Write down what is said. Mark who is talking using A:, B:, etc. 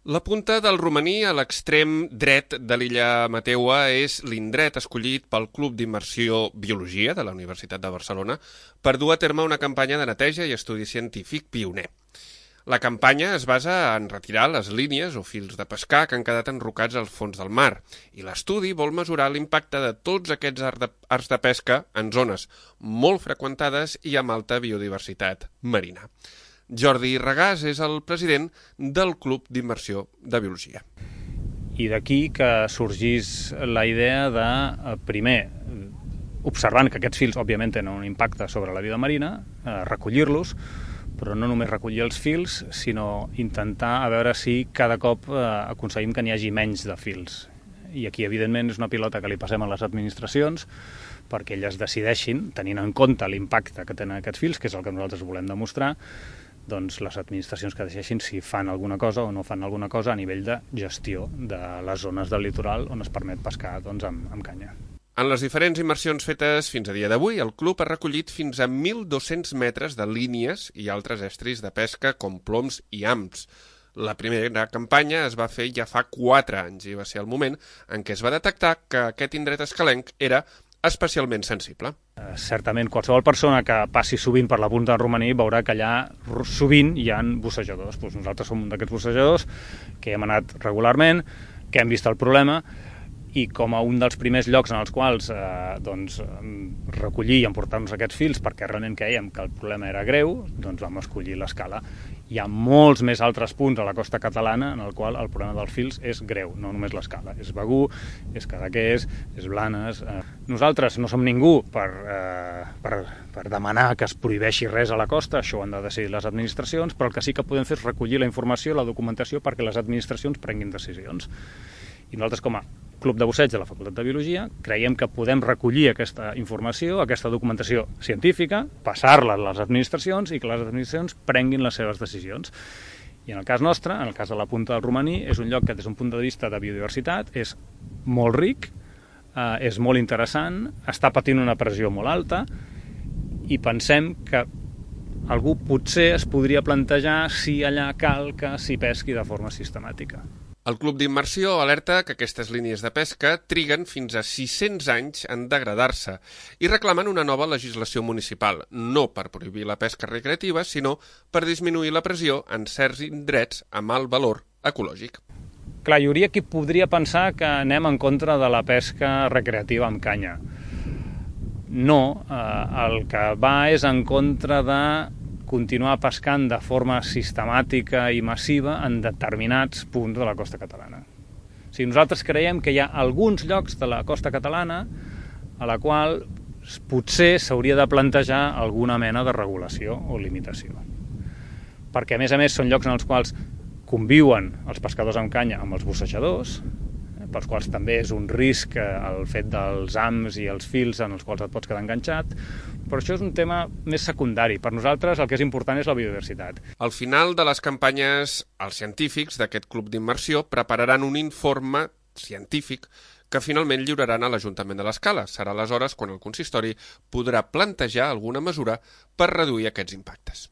A: La punta del Romaní a l'extrem dret de l'illa Mateua és l'indret escollit pel Club d'Immersió Biologia de la Universitat de Barcelona per dur a terme una campanya de neteja i estudi científic pioner. La campanya es basa en retirar les línies o fils de pescar que han quedat enrocats al fons del mar i l'estudi vol mesurar l'impacte de tots aquests arts de pesca en zones molt freqüentades i amb alta biodiversitat marina. Jordi Regàs és el president del Club d'Immersió de Biologia.
B: I d'aquí que sorgís la idea de, primer, observant que aquests fils, òbviament, tenen un impacte sobre la vida marina, recollir-los, però no només recollir els fils, sinó intentar a veure si cada cop aconseguim que n'hi hagi menys de fils. I aquí, evidentment, és una pilota que li passem a les administracions perquè elles decideixin, tenint en compte l'impacte que tenen aquests fils, que és el que nosaltres volem demostrar, doncs les administracions que decideixin si fan alguna cosa o no fan alguna cosa a nivell de gestió de les zones del litoral on es permet pescar amb canya.
A: En les diferents immersions fetes fins a dia d'avui, el club ha recollit fins a 1.200 metres de línies i altres estris de pesca com ploms i hams. La primera campanya es va fer ja fa 4 anys i va ser el moment en què es va detectar que aquest indret escalenc era especialment sensible.
B: Certament, qualsevol persona que passi sovint per la punta del Romaní veurà que allà sovint hi ha bussejadors. Nosaltres som un d'aquests bussejadors que hem anat regularment, que hem vist el problema i com a un dels primers llocs en els quals recollir i emportar-nos aquests fils perquè realment creiem que el problema era greu, doncs vam escollir l'Escala. Hi ha molts més altres punts a la costa catalana en el qual el problema dels fils és greu, no només l'Escala. És Begur, és Cadaqués, és Blanes. Nosaltres no som ningú per demanar que es prohibeixi res a la costa, això ho han de decidir les administracions, però el que sí que podem fer és recollir la informació, la documentació, perquè les administracions prenguin decisions. I nosaltres, com a Club de Busseig de la Facultat de Biologia, creiem que podem recollir aquesta informació, aquesta documentació científica, passar-la a les administracions i que les administracions prenguin les seves decisions. I en el cas nostre, en el cas de la punta del Romaní, és un lloc que des d'un punt de vista de biodiversitat és molt ric, és molt interessant, està patint una pressió molt alta i pensem que algú potser es podria plantejar si allà cal que s'hi pesqui de forma sistemàtica.
A: El Club d'Immersió alerta que aquestes línies de pesca triguen fins a 600 anys en degradar-se i reclamen una nova legislació municipal, no per prohibir la pesca recreativa, sinó per disminuir la pressió en certs indrets amb alt valor ecològic.
B: Clar, hi hauria qui podria pensar que anem en contra de la pesca recreativa amb canya. No, el que va és en contra de continuar pescant de forma sistemàtica i massiva en determinats punts de la costa catalana. O sigui, nosaltres creiem que hi ha alguns llocs de la costa catalana a la qual potser s'hauria de plantejar alguna mena de regulació o limitació. Perquè, a més, són llocs en els quals conviuen els pescadors amb canya amb els bussejadors, pels quals també és un risc el fet dels hams i els fils en els quals et pots quedar enganxat, però això és un tema més secundari. Per nosaltres el que és important és la biodiversitat.
A: Al final de les campanyes, els científics d'aquest club d'immersió prepararan un informe científic que finalment lliuraran a l'Ajuntament de l'Escala. Serà aleshores quan el consistori podrà plantejar alguna mesura per reduir aquests impactes.